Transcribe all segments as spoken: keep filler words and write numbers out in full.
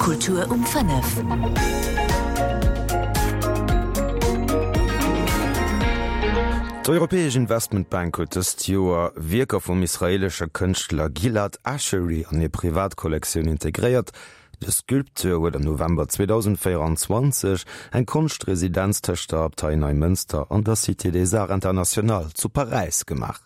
Kultur um fënnef. D'Europäesch Investmentbank huet dëst Joer Wierker vum israeelesche Kënschtler Gilad Ashery an hir Privatkollektioun integréiert. De Sculpteur huet am November zweedausendvéieranzwanzeg eng Konschtresidenz tëscht der Abtei Neimënster an der Cité des Arts Internationales zu Paräis gemaach.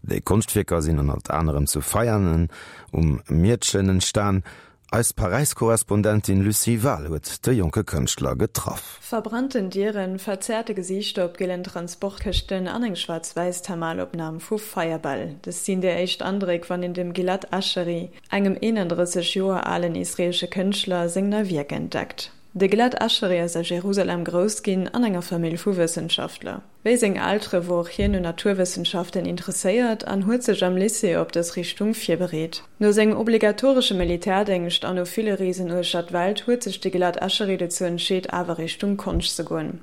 Déi Konschtwierker sinn ënnert anerem zu Veianen um Miertchen entstan. Eis Paräis-Korrespondentin Lucie Wahl huet de jonke Kënschtler getraff. Verbrannten Dieren, verzerrte Gesiichter op gielen Transportkëschten an eng schwaarz-wäiss Thermalopnam vu Feierbäll, dës sinn déi éischt Andréck, wann een dem Gilad Ashery, engem eenandrësseg Joer alen israeelsche Kënschtler, seng nei Wierk entdeckt. De Gilad Ashery ass a Jerusalem grouss ginn, an enger Famill vu Wëssenschaftler. Wéi seng Eltere wor och hien un Naturwëssenschaften interesséiert an huet sech am Lycée op dës Richtung virbereet. No sengem obligatoresche Militärdéngscht an no ville Reesen uechter d'Welt huet sech de Gilad Ashery dozou entscheet awer Richtung Konscht ze goen.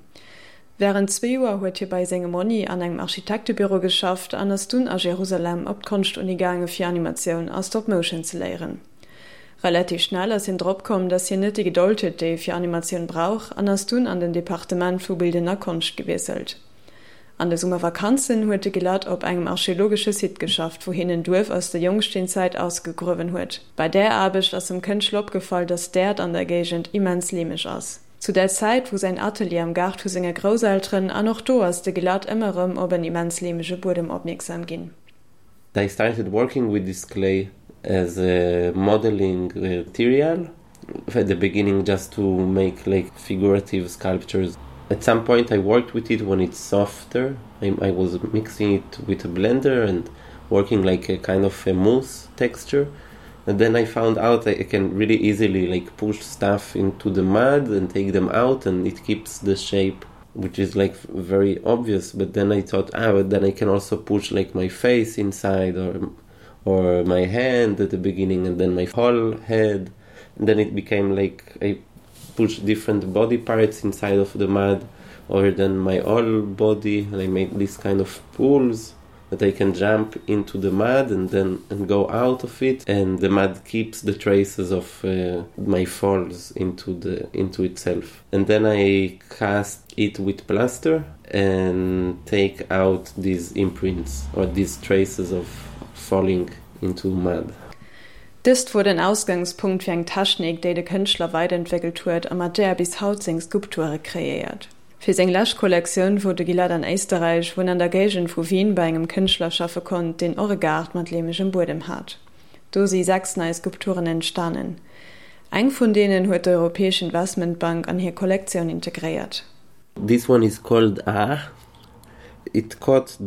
Wärend zwee Joer huet hie bei sengem Monni an engem Architektebüro geschafft an ass dunn a Jerusalem op d'Konschtuni gaange fir Animatioun a Stop Motion ze léieren. Relativ schnell ass hien drop komm, dass hien net déi Gedold huet, déi ee fir Animatioun brauch, an ass dunn an den Departement vu bildender Konscht gewiesselt. An de Summervakanzen huet de Gilad op engem archeologesche Site geschafft, wou hien en Duerf aus der Jongsteenzäit ausgegruewen huet. Bei där Aarbecht ass dem Kënschtler opgefall, dass d'Äerd an der Géigend immens leemeg ass. Zu där Zäit wor säin Atelier am Gaart vu senge Grousselteren an och do ass de Gilad ëmmer erëm op en immens leemege Buedem opmierksam ginn. I started working with this clay as a modeling material at the beginning just to make like figurative sculptures. At some point I worked with it when it's softer. I, I was mixing it with a blender and working like a kind of a mousse texture. And then I found out I can really easily like push stuff into the mud and take them out and it keeps the shape which is like very obvious but then I thought ah but then I can also push like my face inside or or my hand at the beginning and then my whole head and then it became like I push different body parts inside of the mud or then my whole body and I made this kind of pools that I can jump into the mud and then and go out of it and the mud keeps the traces of uh, my falls into the into itself and then I cast it with plaster and take out these imprints or these traces of falling into mud. Dëst wor den Ausgangspunkt fir eng Technik, déi de Kënschtler weiderentwéckelt huet a mat där er bis haut seng Skulpture kreéiert. Fir seng lescht Kollektioun wor de Gilad an Éisterräich, wou en an der Géigend vu Wien bei engem Kënschtler schaffe konnt, deen och e Gaart mat leemegem Buedem hat. Do si sechs nei Skulpturen entstanen. Eng vun deenen huet d'Europäesch Investmentbank an hir Kollektioun integréiert. This one is called Ah. It caught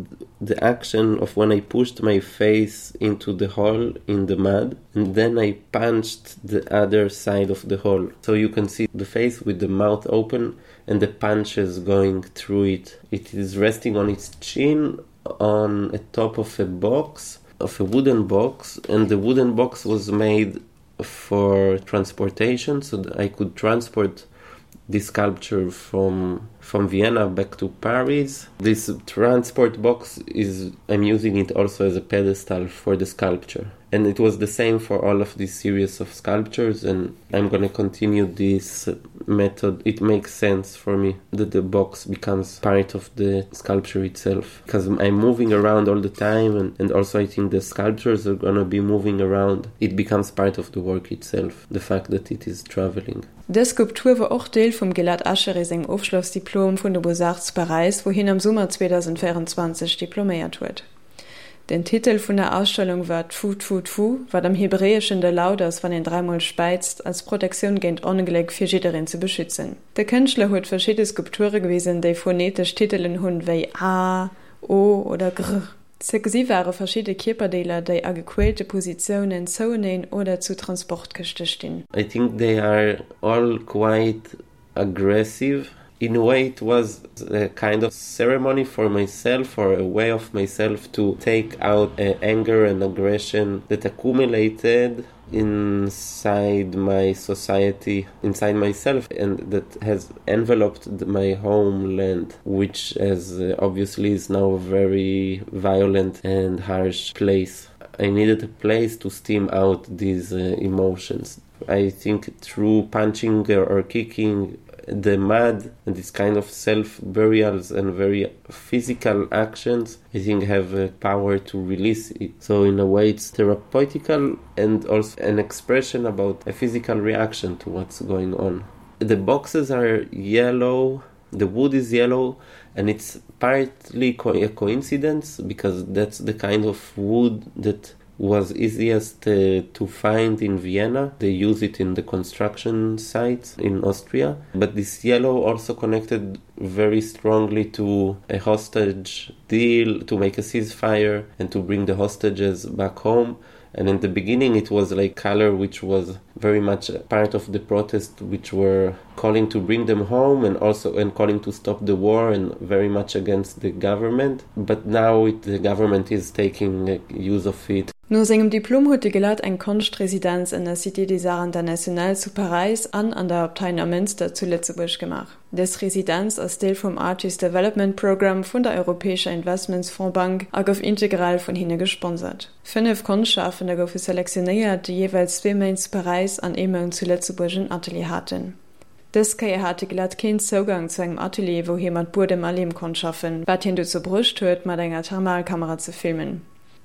the action of when I pushed my face into the hole in the mud and then I punched the other side of the hole. So you can see the face with the mouth open and the punches going through it. It is resting on its chin on a top of a box of a wooden box and the wooden box was made for transportation so that I could transport this sculpture from from Vienna back to Paris. This transport box is I'm using it also as a pedestal for the sculpture. And it was the same for all of this series of sculptures and I'm gonna continue this method. It makes sense for me that the box becomes part of the sculpture itself because I'm moving around all the time and, and also I think the sculptures are gonna be moving around. It becomes part of the work itself, the fact that it is traveling. Dës Skulptur wor och Deel vum Gilad Ashery sengem Ofschlossdiplom vun de Beaux-Arts zu Paräis, wou hien am Summer zweedausendvéierenzwanzeg diploméiert huet. Den Titel vun der Ausstellung war Tfu Tfu Tfu, wat am Hebräeschen de Laut ass, wann een dräimol späizt, als Protektioun géint Ongléck, fir jiddereen ze beschützen. De Kënschtler huet verschidde Skulpture gewisen, déi phonetesch Titelen hunn, wéi A, O oder Gr. Ze gesi ware verschidde Kierperdeeler, déi a gequäälte Positiounen zoueneen oder zu Transportkëschte stinn. I think they are all quite aggressive. In a way it was a kind of ceremony for myself or a way of myself to take out anger and aggression that accumulated inside my society, inside myself and that has enveloped my homeland, which as obviously is now a very violent and harsh place. I needed a place to steam out these emotions. I think through punching or kicking the mud and this kind of self burials and very physical actions I think have a power to release it. So in a way it's therapeutical and also an expression about a physical reaction to what's going on. The boxes are yellow, the wood is yellow and it's partly co a coincidence because that's the kind of wood that was easiest uh, to find in Vienna. They use it in the construction sites in Austria. But this yellow also connected very strongly to a hostage deal to make a ceasefire and to bring the hostages back home. And in the beginning it was like color which was very much part of the protest which were calling to bring them home and also and calling to stop the war and very much against the government. But now it, the government is taking use of it. No sengem Diplom huet de Gilad eng Konschtresidenz an der Cité des Arts Internationaux zu Paräis an an der Abtei Neumünster zu Lëtzebuerg gemaach. Dës Residenz ass Deel vum Artist Development Programme vun der Europäescher Investmentsfondsbank a gouf integral vun hinne gesponsert. Fënnef Konschtschafender goufe selektionéiert, déi jeeweils zwee Méint zu Paräis an ee Mount zu Lëtzebuerg en Atelier haten. Dës Kéier hat de Gilad keen Zougang zu engem Atelier, wou hie mat Buedem a Leem konnt schaffen, wat hien dozou bruecht huet, mat enger Thermalkamera ze filmen.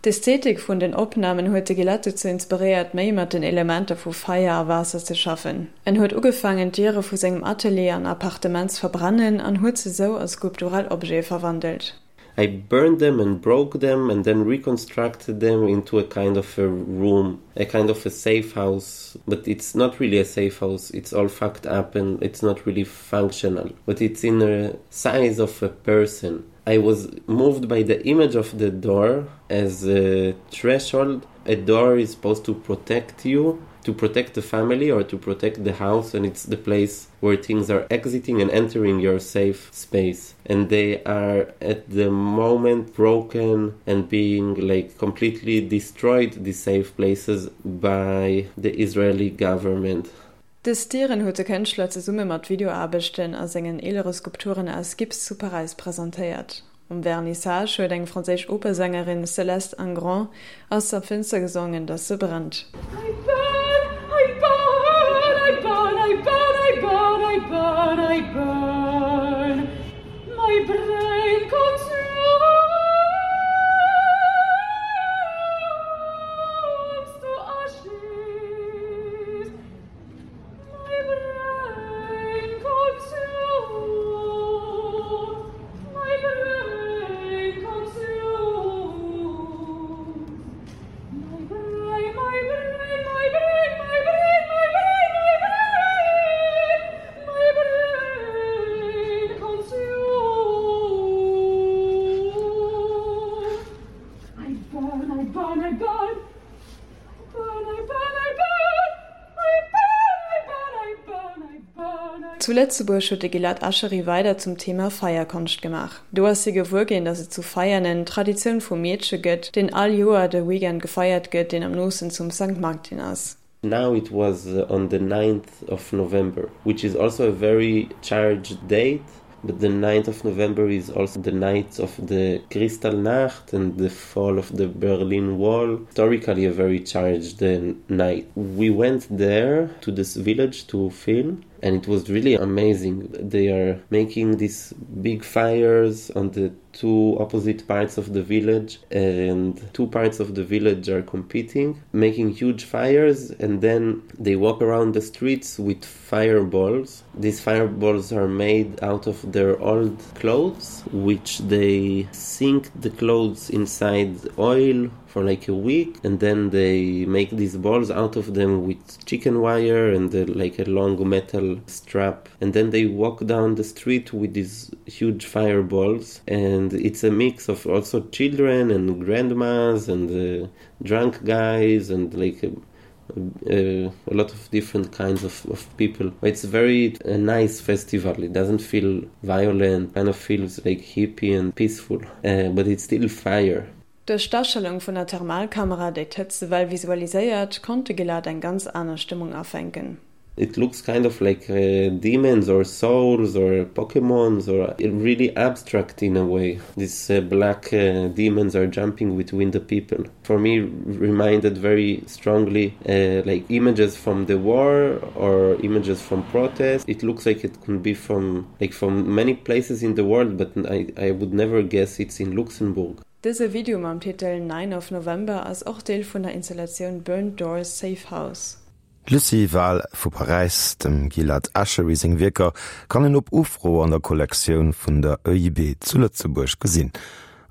D'Ästhetik vun den Opnamen huet de Gilad dozou inspiréiert, méi mat den Elementer vu Feier a Waasser ze schaffen. En huet ugefaangen, d'Diere vu sengem Atelier an Appartement ze verbrennen an huet se sou a skulptural Objete verwandelt. I burned them and broke them and then reconstructed them into a kind of a room, a kind of a safe house. But it's not really a safe house. It's all fucked up and it's not really functional. But it's in the size of a person. I was moved by the image of the door as a threshold. A door is supposed to protect you, to protect the family or to protect the house, and it's the place where things are exiting and entering your safe space. And they are at the moment broken and being like completely destroyed, the safe places, by the Israeli government. Dës Dieren huet de Kënschtler zesumme mat Videoaarbechten a sengen eelere Skulpturen aus Gips zu Paräis presentéiert. Um Vernissage huet eng franséisch Opersängerin Céleste Ingrand aus der Fënster gesongen, dass se brennt. I burn, I burn, I burn, I burn, I burn, I burn, I burn. My brain consumes to ashes. My brain consumes. My brain consumes. My brain, my brain, my brain, my brain, my brain, my brain, my brain consumes. I burn, I burn, I burn. I burn, I burn, I burn. I burn, I burn, I burn, I burn, I Zu Lëtzebuerg huet de Gilad Ascheri weider zum Thema Feierkonscht gemaach. Do ass hie gewuer ginn, dass et zu Veianen d'Traditioun vum Meedche gëtt, deen all Joer de Weekend gefeiert gëtt, deen am noosten zum Sankt Martin ass. Now it was uh, on the ninth of November, which is also a very charged date. But the ninth of November is also the night of the Kristallnacht and the fall of the Berlin Wall. Historically a very charged uh, night. We went there to this village to film, and it was really amazing. They are making these big fires on the two opposite parts of the village, and two parts of the village are competing, making huge fires, and then they walk around the streets with fireballs. These fireballs are made out of their old clothes, which they sink the clothes inside oil for like a week, and then they make these balls out of them with chicken wire and the, like a long metal strap, and then they walk down the street with these huge fireballs. And it's a mix of also children and grandmas and, uh, drunk guys and like a, a, a lot of different kinds of, of people. It's very a nice festival. It doesn't feel violent, kind of feels like hippie and peaceful, uh, but it's still fire. Duerch d'Astellung vun der Thermalkamera, déi d'Hëtztwell visualiséiert, konnt de Gilad eng ganz aner Stëmmung afänken. It looks kind of like uh, demons or souls or Pokemons or really abstract in a way. These uh, black uh, demons are jumping between the people. For me, reminded very strongly uh, like images from the war or images from protest. It looks like it could be from like from many places in the world, but I, I would never guess it's in Luxembourg. Dëse Video mam Titel Nine of November ass och Deel vun der Installatioun Burnt Doors Safe House. D'Lucie Wahl vu Paräis, Dem Gilad Ashery seng Wierker kann een op Ufro an der Kollektioun vun der EIB zu Lëtzebuerg gesinn.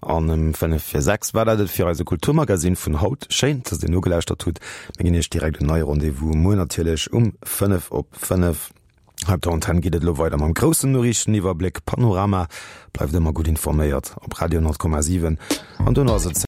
An ëm fënnef vir sechs war dat et fir eise Kulturmagasinn vun haut. Schéin, dass Dir nogelauschtert hutt. Mir ginn Iech direkt en neie Rendez-vous muer natierlech um fënnef op fënnef. Hei op der Antenn geet et elo weider mam groussen Noriichteniwwerbléck Panorama. Bleift ëmmer gutt informéiert op Radio honnert Komma siwen an dono ass et.